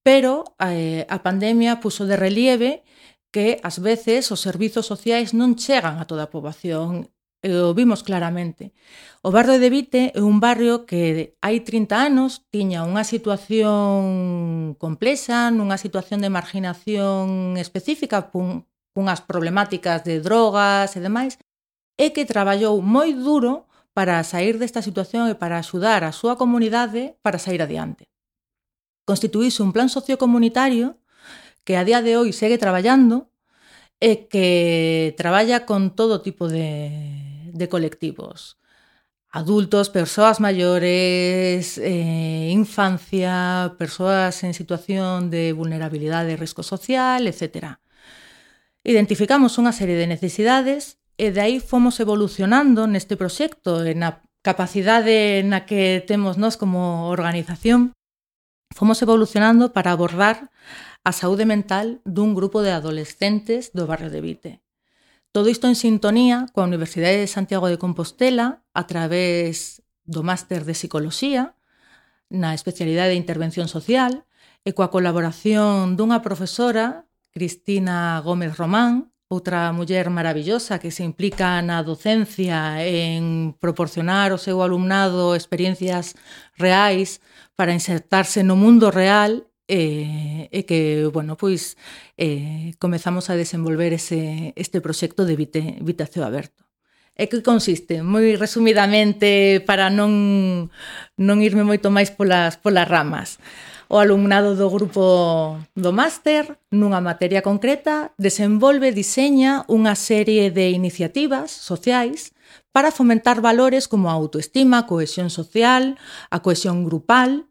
Pero eh, a pandemia puxo de relieve que ás veces os servizos sociais non chegan a toda a poboación, e o vimos claramente. O barrio de Vite é un barrio que hai trinta anos tiña unha situación complexa, nunha situación de marginación específica, pun, cunhas problemáticas de drogas e demais, e que traballou moi duro para sair desta situación e para axudar a súa comunidade para sair adiante. Constituíse un plan sociocomunitario que a día de hoy segue traballando e que traballa con todo tipo de, de colectivos. Adultos, persoas maiores, eh, infancia, persoas en situación de vulnerabilidade e risco social, etcétera. Identificamos unha serie de necesidades e de aí fomos evolucionando neste proxecto, na capacidade na que temos nós como organización, fomos evolucionando para abordar a saúde mental dun grupo de adolescentes do barrio de Vite. Todo isto en sintonía coa Universidade de Santiago de Compostela a través do máster de Psicoloxía na especialidade de Intervención Social e coa colaboración dunha profesora, Cristina Gómez Román, outra muller maravillosa que se implica na docencia en proporcionar ao seu alumnado experiencias reais para insertarse no mundo real e, e que, bueno, pois eh, comezamos a desenvolver ese, este proxecto de Vite, Vite a Ceo Aberto. E que consiste? Moi resumidamente, para non, non irme moito máis polas, polas ramas. O alumnado do grupo do máster, nunha materia concreta, desenvolve, diseña unha serie de iniciativas sociais para fomentar valores como a autoestima, a cohesión social, a cohesión grupal,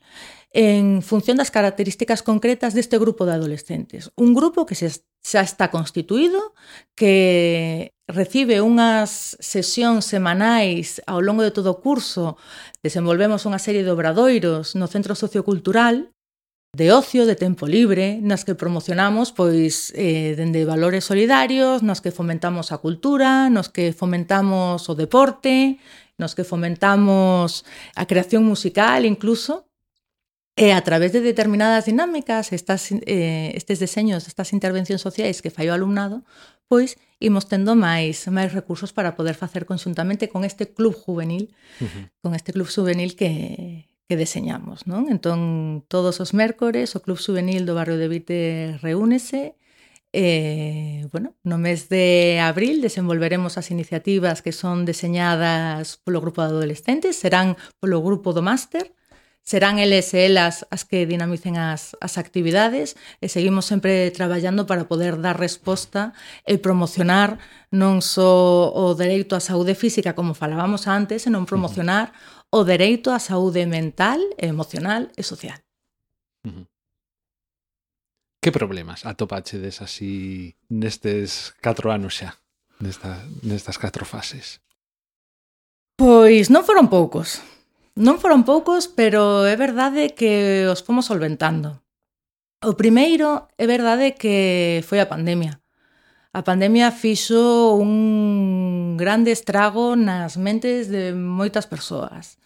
en función das características concretas deste grupo de adolescentes. Un grupo que xa está constituído, que recibe unhas sesións semanais ao longo de todo o curso. Desenvolvemos unha serie de obradoiros no Centro Sociocultural, de ocio, de tempo libre, nas que promocionamos pois eh, dende valores solidarios, nos que fomentamos a cultura, nos que fomentamos o deporte, nos que fomentamos a creación musical incluso. E a través de determinadas dinámicas, estas, eh, estes deseños, estas intervencións sociais que fai o alumnado, pois imos tendo máis, máis recursos para poder facer conxuntamente con este club juvenil, uh-huh. con este club juvenil que, que deseñamos, non? Entón, todos os mércores, o Club Juvenil do Barrio de Vite reúnese. E, bueno, no mes de abril desenvolveremos as iniciativas que son deseñadas polo grupo de adolescentes, serán polo grupo do máster, serán eles e elas as que dinamicen as, as actividades e seguimos sempre traballando para poder dar resposta e promocionar non só o dereito á saúde física, como falábamos antes, senón promocionar uh-huh. o dereito á saúde mental, emocional e social. Uh-huh. Que problemas atopachedes así nestes catro anos xa, nesta, nestas catro fases? Pois non foron poucos. Non foron poucos, pero é verdade que os fomos solventando. O primeiro é verdade que foi a pandemia. A pandemia fixo un grande estrago nas mentes de moitas persoas.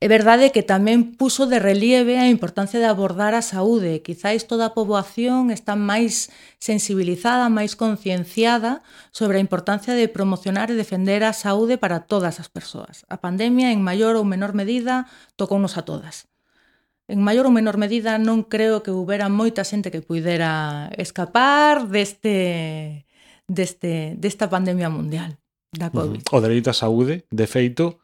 É verdade que tamén puso de relieve a importancia de abordar a saúde. Quizáis toda a poboación está máis sensibilizada, máis concienciada sobre a importancia de promocionar e defender a saúde para todas as persoas. A pandemia, en maior ou menor medida, tocounos a todas. En maior ou menor medida, non creo que houbera moita xente que puidera escapar deste, deste, desta pandemia mundial da COVID. Uh-huh. O dereito á saúde, de feito,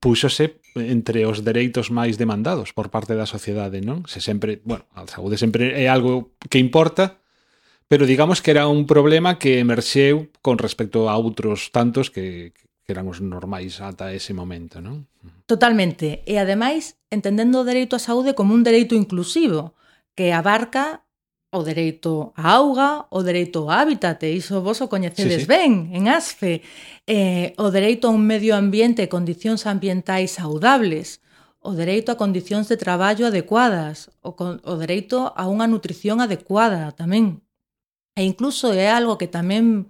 púxose entre os dereitos máis demandados por parte da sociedade, non? Se sempre, bueno, a saúde sempre é algo que importa, pero digamos que era un problema que emerxeu con respecto a outros tantos que, que eran os normais ata ese momento, non? Totalmente. E, ademais, entendendo o dereito á saúde como un dereito inclusivo, que abarca o dereito á auga, o dereito ao hábitat, e iso vos o coñecedes sí, sí. ben, en ASFE, eh, o dereito a un medio ambiente e condicións ambientais saudables, o dereito a condicións de traballo adecuadas, o, o dereito a unha nutrición adecuada tamén. E incluso é algo que tamén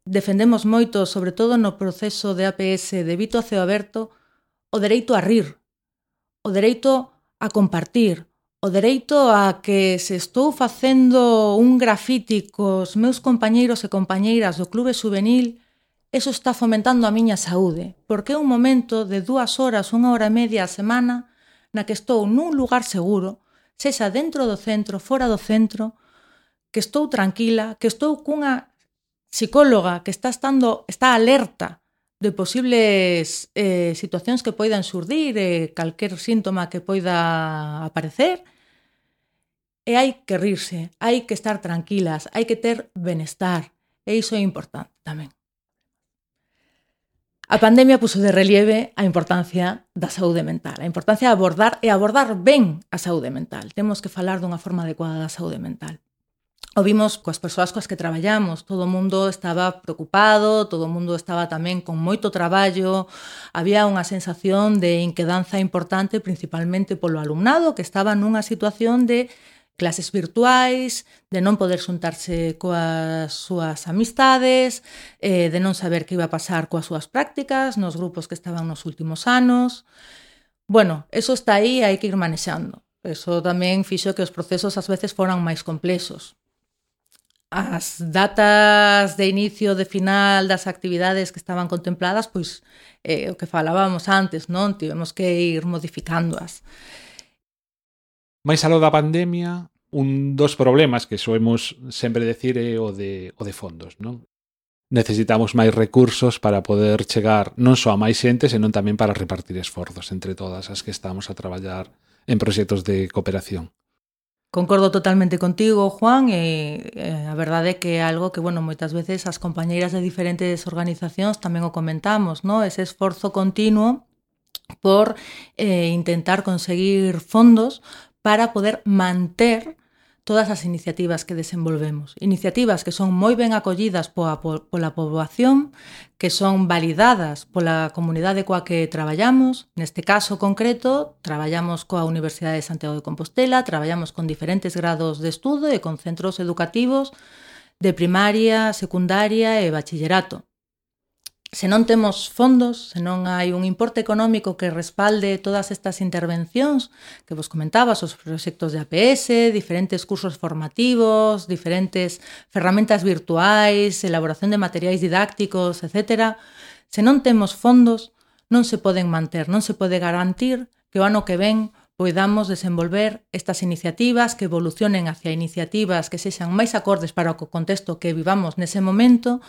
defendemos moito, sobre todo no proceso de A P S de Vito a Ceo Aberto, o dereito a rir, o dereito a compartir, o dereito a que se estou facendo un grafiti cos meus compañeiros e compañeiras do clube juvenil, eso está fomentando a miña saúde, porque é un momento de dúas horas, unha hora e media a semana, na que estou nun lugar seguro, sexa dentro do centro, fora do centro, que estou tranquila, que estou cunha psicóloga que está estando, está alerta de posibles eh, situacións que poidan xurdir, eh, calquer síntoma que poida aparecer, e hai que rirse, hai que estar tranquilas, hai que ter benestar, e iso é importante tamén. A pandemia puso de relieve a importancia da saúde mental, a importancia de abordar e abordar ben a saúde mental. Temos que falar dunha forma adecuada da saúde mental. O vimos coas persoas coas que traballamos, todo o mundo estaba preocupado, todo o mundo estaba tamén con moito traballo, había unha sensación de inquedanza importante, principalmente polo alumnado, que estaba nunha situación de clases virtuais, de non poder xuntarse coas súas amistades, eh, de non saber que iba a pasar coas súas prácticas, nos grupos que estaban nos últimos anos. Bueno, eso está aí e hai que ir manexando. Eso tamén fixo que os procesos ás veces foran máis complexos. As datas de inicio, de final das actividades que estaban contempladas, pois eh, o que falábamos antes, non? Tivemos que ir modificándoas. Mais aló da pandemia, un dos problemas que soemos sempre decir é o de, o de fondos, non? Necesitamos máis recursos para poder chegar non só a máis xente, senón tamén para repartir esforzos entre todas as que estamos a traballar en proxectos de cooperación. Concordo totalmente contigo, Juan, e eh, a verdade é que é algo que, bueno, moitas veces as compañeiras de diferentes organizacións tamén o comentamos, ¿no? Ese esforzo continuo por eh, intentar conseguir fondos para poder manter todas as iniciativas que desenvolvemos. Iniciativas que son moi ben acollidas pola, pola poboación, que son validadas pola comunidade coa que traballamos. Neste caso concreto, traballamos coa Universidade de Santiago de Compostela, traballamos con diferentes grados de estudo e con centros educativos de primaria, secundaria e bachillerato. se non temos fondos, se non hai un importe económico que respalde todas estas intervencións que vos comentabas, os proxectos de A P S, diferentes cursos formativos, diferentes ferramentas virtuais, elaboración de materiais didácticos, etcétera. Se non temos fondos, non se poden manter, non se pode garantir que o ano que ven poidamos desenvolver estas iniciativas, que evolucionen hacia iniciativas que sexan máis acordes para o contexto que vivamos nese momento.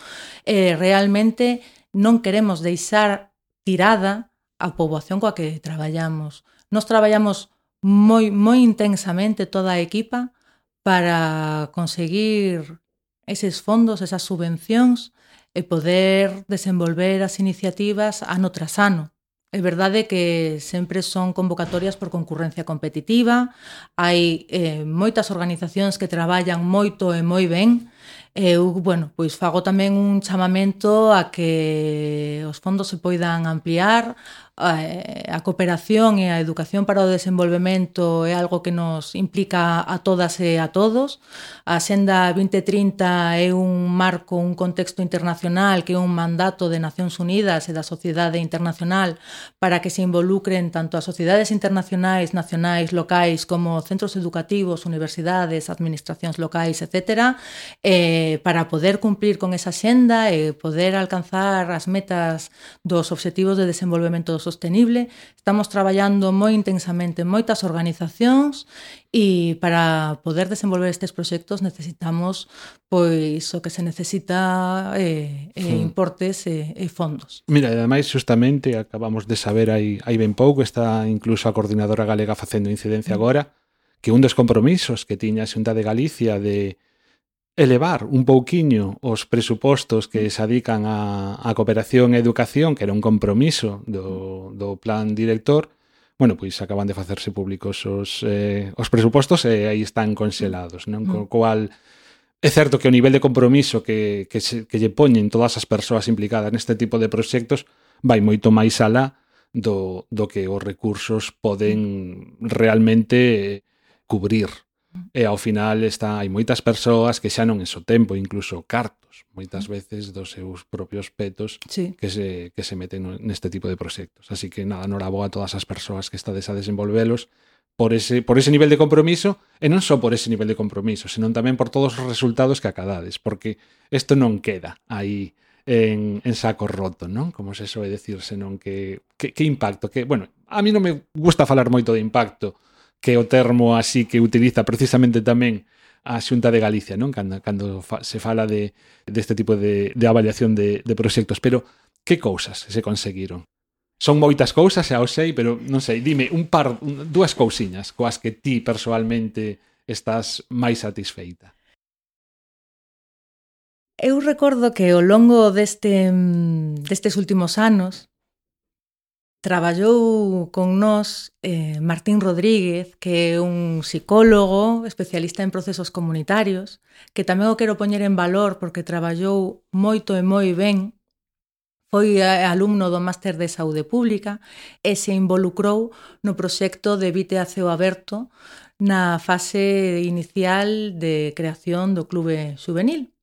Eh, realmente non queremos deixar tirada a poboación coa que traballamos. Nos traballamos moi, moi intensamente toda a equipa para conseguir eses fondos, esas subvencións e poder desenvolver as iniciativas ano tras ano. É verdade que sempre son convocatorias por concurrencia competitiva, hai eh, moitas organizacións que traballan moito e moi ben. Eu, bueno, pois fago tamén un chamamento a que os fondos se poidan ampliar, a cooperación e a educación para o desenvolvemento é algo que nos implica a todas e a todos. A Axenda vinte trinta é un marco, un contexto internacional que é un mandato de Nacións Unidas e da sociedade internacional para que se involucren tanto as sociedades internacionais, nacionais, locais, como centros educativos, universidades, administracións locais, etcétera, eh, para poder cumplir con esa xenda e poder alcanzar as metas dos obxectivos de desenvolvemento sostenible. Estamos traballando moi intensamente en moitas organizacións e para poder desenvolver estes proxectos necesitamos pois o que se necesita eh, eh, importes e eh, fondos. Mira, ademais, justamente, acabamos de saber aí, aí ben pouco, está incluso a Coordinadora Galega facendo incidencia agora, que un dos compromisos que tiña a Xunta de Galicia de elevar un pouquiño os presupostos que se adican a, a cooperación e educación, que era un compromiso do, do plan director, bueno, pois acaban de facerse públicos os, eh, os presupostos e aí están conxelados, non? Co cual, é certo que o nivel de compromiso que, que, se, que lle poñen todas as persoas implicadas neste tipo de proxectos vai moito máis alá do, do que os recursos poden realmente cubrir. E ao final está, hai moitas persoas que xa non é só tempo, incluso cartos, moitas veces dos seus propios petos sí. que se, que se meten neste tipo de proxectos. Así que nada, noraboa a todas as persoas que estades a desenvolvelos por ese, por ese nivel de compromiso, e non só por ese nivel de compromiso, senón tamén por todos os resultados que acadades, porque isto non queda aí en, en saco roto, non? Como se soe decir, senón que, que, que impacto, que, bueno, a mí non me gusta falar moito de impacto, que o termo así que utiliza precisamente tamén a Xunta de Galicia, non? Cando, cando fa, se fala de deste tipo de, de avaliación de, de proxectos. Pero, que cousas se conseguiron? Son moitas cousas, xa o sei, pero non sei, dime un par, un, dúas cousiñas coas que ti persoalmente estás máis satisfeita. Eu recordo que ao longo deste, destes últimos anos traballou con nós eh, Martín Rodríguez, que é un psicólogo especialista en procesos comunitarios, que tamén o quero poñer en valor porque traballou moito e moi ben. Foi alumno do Máster de Saúde Pública e se involucrou no proxecto de Vite a Ceo Aberto na fase inicial de creación do Clube Xuvenil.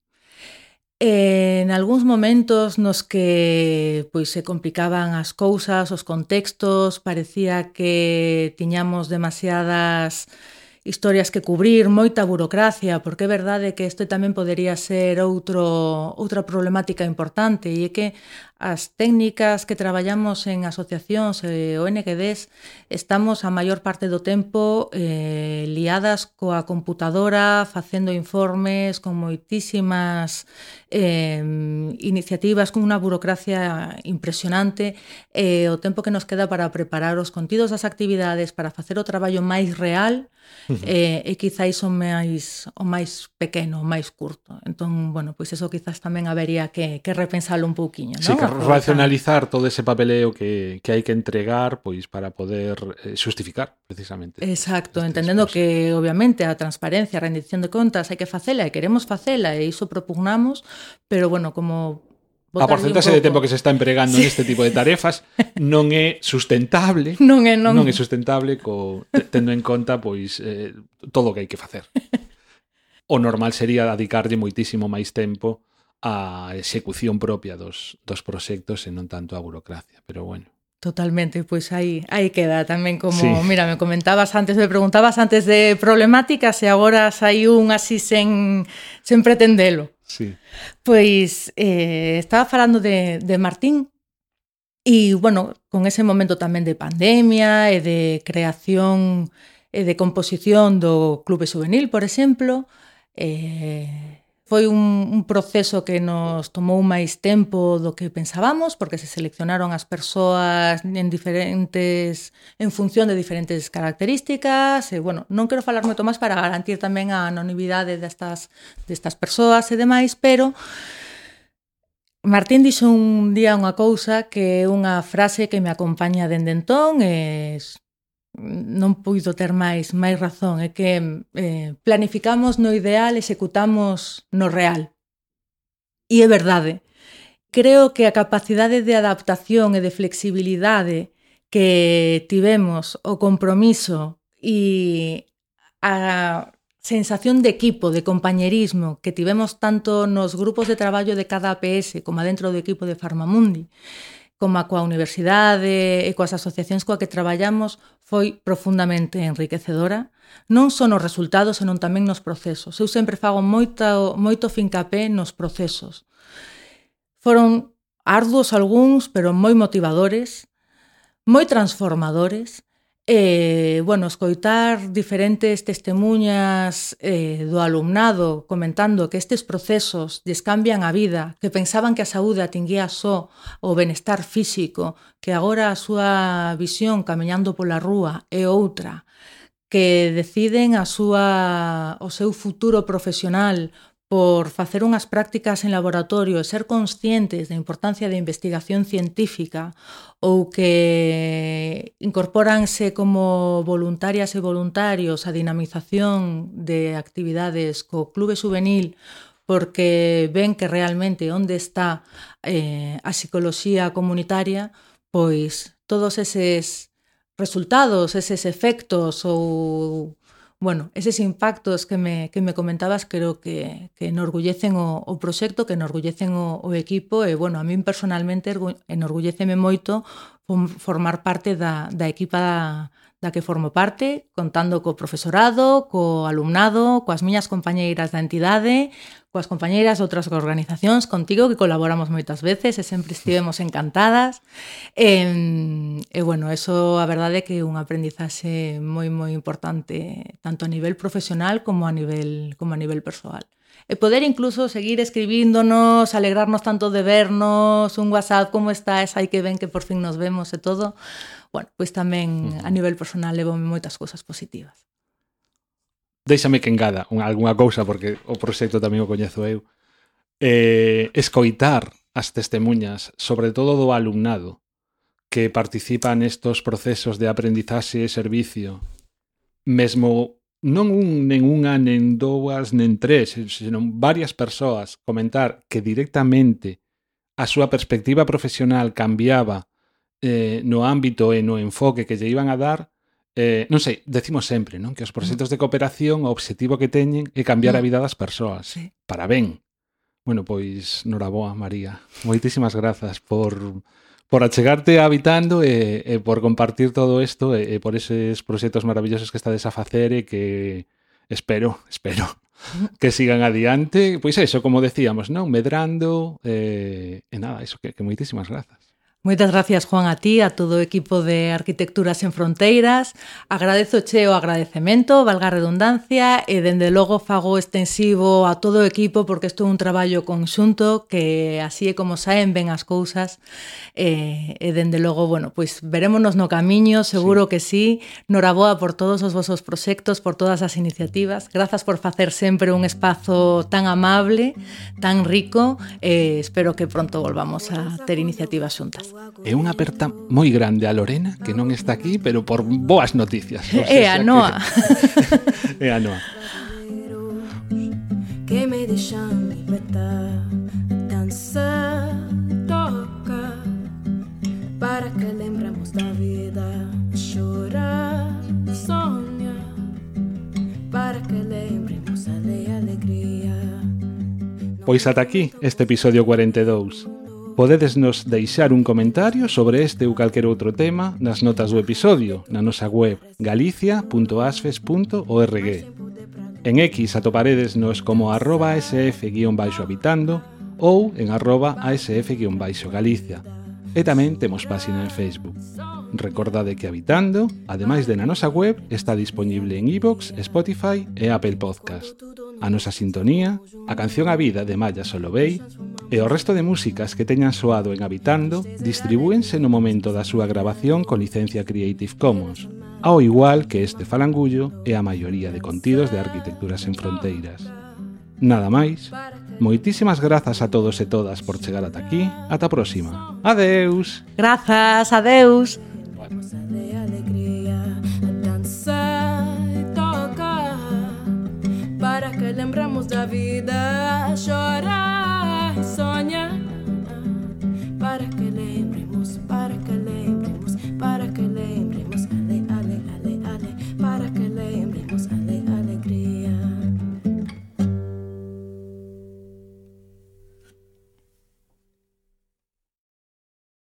En algúns momentos nos que pois se complicaban as cousas, os contextos, parecía que tiñamos demasiadas historias que cubrir, moita burocracia, porque é verdade que isto tamén podería ser outro, outra problemática importante, e é que as técnicas que traballamos en asociacións e O N G Ds estamos a maior parte do tempo eh, liadas coa computadora, facendo informes con moitísimas eh, iniciativas, con unha burocracia impresionante, e o tempo que nos queda para preparar os contidos das actividades, para facer o traballo máis real, uh-huh. eh, e quizáis o máis, o máis pequeno, o máis curto. Entón, bueno, pois eso quizás tamén habería que, que repensalo un pouquiño, sí, non? Que racionalizar todo ese papeleo que, que hai que entregar pois para poder eh, justificar, precisamente. Exacto, entendendo que, obviamente, a transparencia, a rendición de contas hai que facela e queremos facela e iso propugnamos, pero, bueno, como a porcentaxe de tempo que se está empregando sí. neste tipo de tarefas non é sustentable, non é, non... non é sustentable co, tendo en conta pois eh, todo o que hai que facer. O normal sería dedicarlle moitísimo máis tempo a execución propia dos, dos proxectos e non tanto a burocracia, pero bueno. Totalmente, pois aí, aí queda tamén como, Sí. mira, me comentabas antes, me preguntabas antes de problemáticas e agora saiu un así sen, sen pretendelo. Sí. Pois eh, estaba falando de, de Martín e, bueno, con ese momento tamén de pandemia e de creación e de composición do Clube Juvenil, por exemplo, eh, foi un, un proceso que nos tomou máis tempo do que pensábamos, porque se seleccionaron as persoas en diferentes en función de diferentes características, e, bueno, non quero falar moito máis para garantir tamén a anonimidade destas, destas persoas e demais, pero Martín dixo un día unha cousa que é unha frase que me acompaña dende entón e non puido ter máis máis razón, é que eh, planificamos no ideal, executamos no real. E é verdade. Creo que a capacidade de adaptación e de flexibilidade que tivemos, o compromiso e a sensación de equipo, de compañerismo que tivemos tanto nos grupos de traballo de cada A P S como dentro do equipo de Farmamundi, como a coa universidade e coas asociacións coa que traballamos, foi profundamente enriquecedora, non só nos resultados, senón tamén nos procesos. Eu sempre fago moito, moito fincapé nos procesos. Foron arduos algúns, pero moi motivadores, moi transformadores, e, bueno, escoitar diferentes testemunhas eh, do alumnado comentando que estes procesos lles cambian a vida, que pensaban que a saúde atinguía só o benestar físico, que agora a súa visión camiñando pola rúa é outra, que deciden a súa, o seu futuro profesional por facer unhas prácticas en laboratorio e ser conscientes da importancia da investigación científica ou que incorpóranse como voluntarias e voluntarios a dinamización de actividades co Clube Juvenil porque ven que realmente onde está eh, a psicoloxía comunitaria, pois todos eses resultados, eses efectos ou bueno, eses impactos que me, que me comentabas creo que, que enorgullecen o, o proxecto, que enorgullecen o, o equipo e, bueno, a min personalmente enorgulleceme moito formar parte da, da equipa da, da que formo parte, contando co profesorado, co alumnado, coas miñas compañeiras da entidade, coas compañeiras de outras organizacións, contigo, que colaboramos moitas veces e sempre estivemos encantadas. E, e bueno, eso a verdade é que é un aprendizaxe moi, moi importante, tanto a nivel profesional como a nivel, como a nivel persoal. E poder incluso seguir escribíndonos, alegrarnos tanto de vernos, un WhatsApp, como estás, hai que ven que por fin nos vemos e todo, bueno, pois tamén a nivel personal levo moitas cousas positivas. Déixame que engada algunha cousa, porque o proxecto tamén o coñezo eu. Eh, escoitar as testemunhas, sobre todo do alumnado, que participa nestos procesos de aprendizaxe e servicio, mesmo non un, nen unha, nen dúas, nen tres, senón varias persoas comentar que directamente a súa perspectiva profesional cambiaba eh, no ámbito e no enfoque que lle iban a dar, eh, non sei, decimos sempre, non? Que os proxectos de cooperación o obxectivo que teñen é cambiar a vida das persoas. Sí. Para ben. Bueno, pois, noraboa, María. Moitísimas grazas por... por achegarte a Habitando e, e por compartir todo isto e, e por eses proxectos maravillosos que estades a facer e que espero, espero que sigan adiante. Pois eso, como decíamos, non? Medrando e, e nada, eso, que, que moitísimas grazas. Moitas gracias, Juan, a ti, a todo o equipo de Arquitecturas en Fronteiras. Agradezo che o agradecemento, valga a redundancia, e dende logo fago extensivo a todo o equipo porque isto é un traballo conxunto que así é como saen ben as cousas e, e dende logo, bueno, pois verémonos no camiño, seguro sí. que sí. Noraboa por todos os vosos proxectos, por todas as iniciativas. Grazas por facer sempre un espazo tan amable, tan rico e espero que pronto volvamos a ter iniciativas xuntas. É unha aperta moi grande a Lorena, que non está aquí, pero por boas noticias. É a Noa. É a Noa. Que me deixan libertar, dançar, tocar, para que lembramos da vida, chorar, sonhar, para que lembremos a alegria. Pois ata aquí este episodio cuarenta e dous. Podedes nos deixar un comentario sobre este ou calquer outro tema nas notas do episodio na nosa web galicia punto asfes punto org. En X atoparedesnos como arroba asf-habitando ou en arroba asf-galicia. E tamén temos páxina en Facebook. Recordade que Habitando, ademais de na nosa web, está disponible en iVoox, Spotify e Apple Podcast. A nosa sintonía, a canción A Vida de Maya Solovey e o resto de músicas que teñan soado en Habitando distribúense no momento da súa grabación con licencia Creative Commons, ao igual que este falangullo e a maioría de contidos de Arquitecturas en Fronteiras. Nada máis, moitísimas grazas a todos e todas por chegar ata aquí. Ata a próxima. Adeus. Grazas, adeus. De alegría, dançar e tocar, para que lembramos da vida, chorar.